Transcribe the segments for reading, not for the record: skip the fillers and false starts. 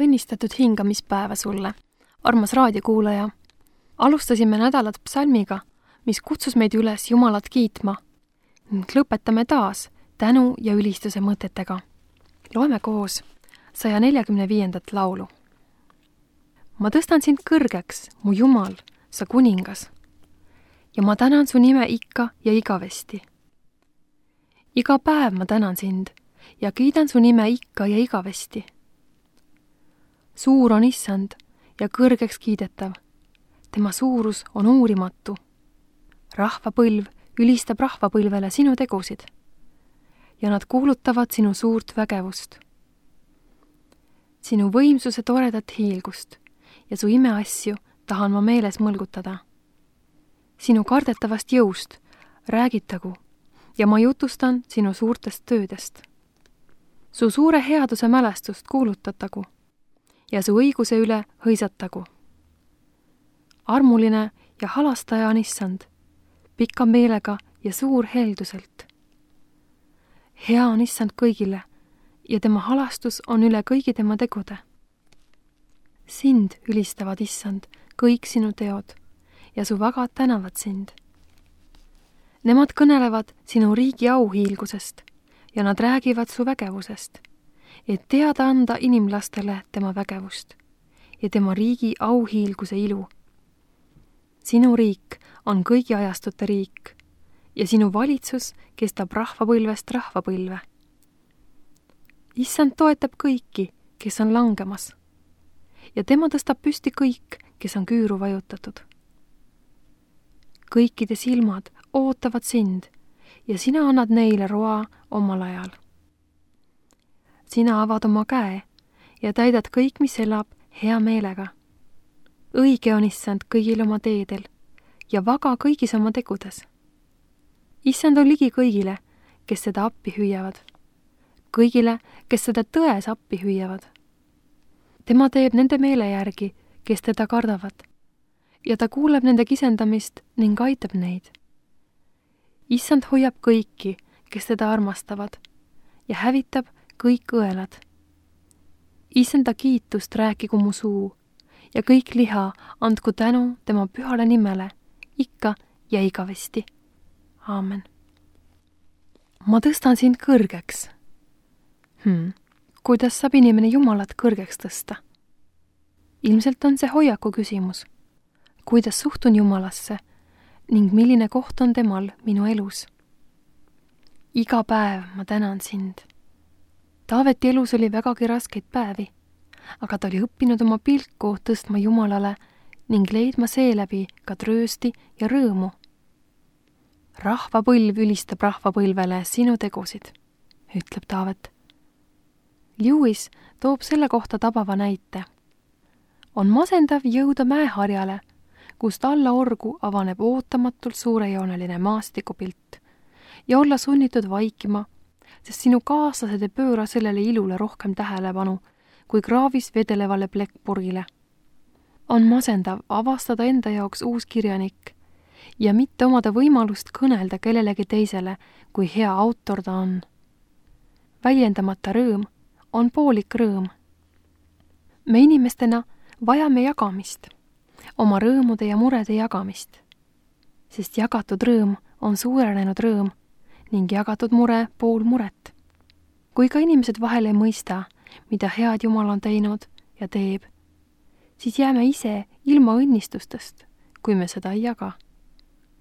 Õnnistatud hingamispäeva sulle, armas raadiokuulaja. Alustasime nädalat psalmiga, mis kutsus meid üles Jumalat kiitma ning lõpetame taas tänu ja ülistuse mõtetega. Loeme koos 145. laulu. Ma tõstan sind kõrgeks, mu Jumal, sa kuningas, ja ma tänan su nime ikka ja igavesti. Iga päev ma tänan sind ja kiidan su nime ikka ja igavesti. Suur on Issand ja kõrgeks kiidetav. Tema suurus on uurimatu. Rahvapõlv ülistab rahvapõlvele sinu tegusid ja nad kuulutavad sinu suurt vägevust. Sinu võimsuse toredat hiilgust ja su imeasju tahan ma meeles mõlgutada. Sinu kardetavast jõust räägitagu ja ma jutustan sinu suurtest töödest. Su suure headuse mälestust kuulutatagu ja su õiguse üle hõisatagu. Armuline ja halastaja on Issand, pika meelega ja suur helduselt. Hea on Issand kõigile ja tema halastus on üle kõigi tema tegude. Sind ülistavad, Issand, kõik sinu teod ja su vagad tänavad sind. Nemad kõnelevad sinu riigi auhiilgusest ja nad räägivad su vägevusest, et teada anda inimlastele tema vägevust ja tema riigi auhiilguse ilu. Sinu riik on kõigi ajastute riik ja sinu valitsus kestab rahvapõlvest rahvapõlve. Issand toetab kõiki, kes on langemas ja tema tõstab püsti kõik, kes on küüru vajutatud. Kõikide silmad ootavad sind ja sina annad neile roa omal ajal. Sina avad oma käe ja täidad kõik, mis elab, hea meelega. Õige on Issand kõigil oma teedel ja vaga kõigis oma tegudes. Issand on ligi kõigile, kes seda appi hüüavad. Kõigile, kes seda tões appi hüüavad. Tema teeb nende meele järgi, kes teda kardavad, ja ta kuuleb nende kisendamist ning aitab neid. Issand hoiab kõiki, kes teda armastavad, ja hävitab kõik õelad. Issanda kiitust rääkigu mu suu ja kõik liha andku tänu tema pühale nimele, ikka ja igavesti. Aamen. Ma tõstan sind kõrgeks. Kuidas saab inimene Jumalat kõrgeks tõsta? Ilmselt on see hoiaku küsimus. Kuidas suhtun Jumalasse ning milline koht on temal minu elus? Iga päev ma tänan sind. Taaveti elus oli vägagi raskeid päevi, aga ta oli õppinud oma pilku tõstma Jumalale ning leidma seeläbi ka tröösti ja rõõmu. Rahvapõlv ülistab rahvapõlvele sinu tegusid, ütleb Taavet. Lewis toob selle kohta tabava näite. On masendav jõuda mäeharjale, kust alla orgu avaneb ootamatult suurejooneline maastikupilt ja olla sunnitud vaikima, sest sinu kaaslased ei pööra sellele ilule rohkem tähelepanu kui kraavis vedelevale plekkpurgile. On masendav avastada enda jaoks uus kirjanik ja mitte omada võimalust kõnelda kellelegi teisele, kui hea autor ta on. Väljendamata rõõm on poolik rõõm. Me inimestena vajame jagamist, oma rõõmude ja murede jagamist, sest jagatud rõõm on suurenenud rõõm ning jagatud mure pool muret. Kui ka inimesed vahel ei mõista, mida head Jumal on teinud ja teeb, siis jääme ise ilma õnnistustest, kui me seda ei jaga.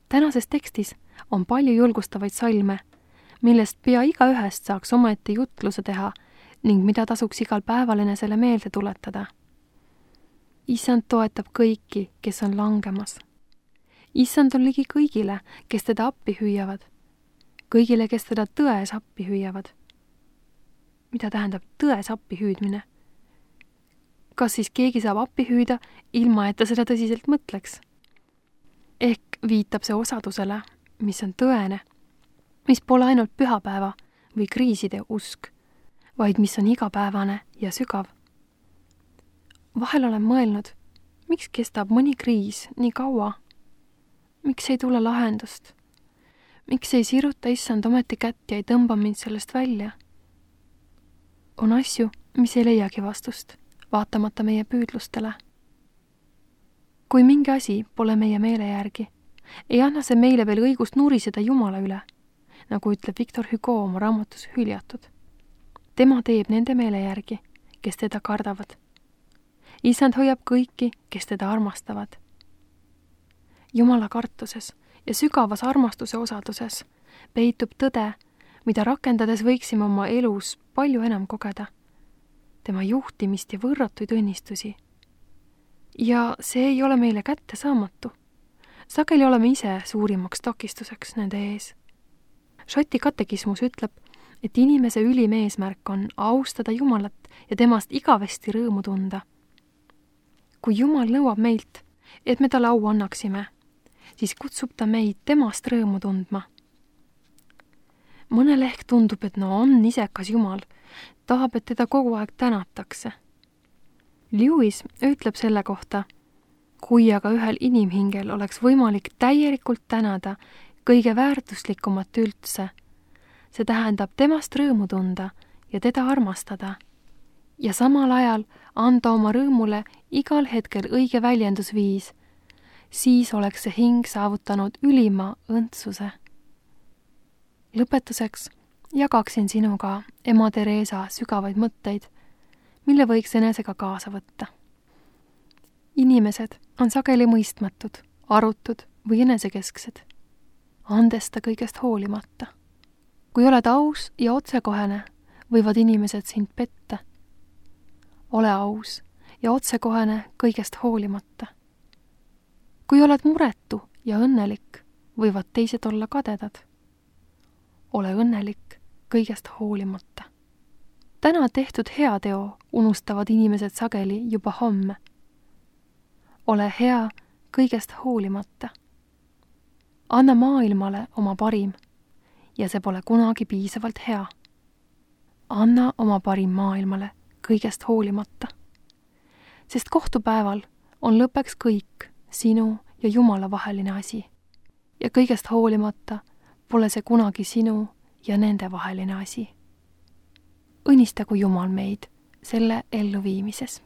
Tänases tekstis on palju julgustavaid salme, millest pea igaühest saaks omaette jutluse teha ning mida tasuks igal päeval enesele meelde tuletada. Issand toetab kõiki, kes on langemas. Issand on ligi kõigile, kes teda appi hüüavad. Kõigile, kes teda tões appi hüüavad. Mida tähendab tões appi hüüdmine? Kas siis keegi saab appi hüüda, ilma et ta seda tõsiselt mõtleks? Ehk viitab see osadusele, mis on tõene, mis pole ainult pühapäeva või kriiside usk, vaid mis on igapäevane ja sügav. Vahel olen mõelnud, miks kestab mõni kriis nii kaua? Miks ei tule lahendust? Miks ei siruta Issand ometi kätt ja ei tõmba mind sellest välja? On asju, mis ei leiagi vastust, vaatamata meie püüdlustele. Kui mingi asi pole meie meele järgi, ei anna see meile veel õigust nuriseda Jumala üle, nagu ütleb Victor Hugo oma raamatus Hüljatud. Tema teeb nende meele järgi, kes teda kardavad. Issand hoiab kõiki, kes teda armastavad. Jumala kartuses ja sügavas armastuse osaduses peitub tõde, mida rakendades võiksime oma elus palju enam kogeda. Tema juhtimist ja võrratuid õnnistusi. Ja see ei ole meile kättesaamatu. Sageli oleme ise suurimaks takistuseks nende ees. Šoti katekismus ütleb, et inimese ülim eesmärk on austada Jumalat ja temast igavesti rõõmu tunda. Kui Jumal nõuab meilt, et me talle au annaksime, siis kutsub ta meid temast rõõmu tundma. Mõnele ehk tundub, et on isekas Jumal, tahab, et teda kogu aeg tänatakse. Lewis ütleb selle kohta, kui aga ühel inimhingel oleks võimalik täielikult tänada kõige väärtuslikumat üldse, see tähendab temast rõõmu tunda ja teda armastada ja samal ajal anda oma rõõmule igal hetkel õige väljendusviis, siis oleks see hing saavutanud ülima õndsuse. Lõpetuseks jagaksin sinuga ema Teresa sügavaid mõtteid, mille võiks enesega kaasa võtta. Inimesed on sageli mõistmatud, arutud või enesekesksed, andesta kõigest hoolimata. Kui oled aus ja otsekohene, võivad inimesed sind petta. Ole aus ja otsekohene kõigest hoolimata. Kui oled muretu ja õnnelik, võivad teised olla kadedad. Ole õnnelik kõigest hoolimata. Täna tehtud heateo unustavad inimesed sageli juba homme. Ole hea kõigest hoolimata. Anna maailmale oma parim ja see pole kunagi piisavalt hea. Anna oma parim maailmale kõigest hoolimata. Sest kohtupäeval on lõppeks kõik sinu ja Jumala vaheline asi. Ja kõigest hoolimata pole see kunagi sinu ja nende vaheline asi. Õnnistagu Jumal meid selle elluviimises.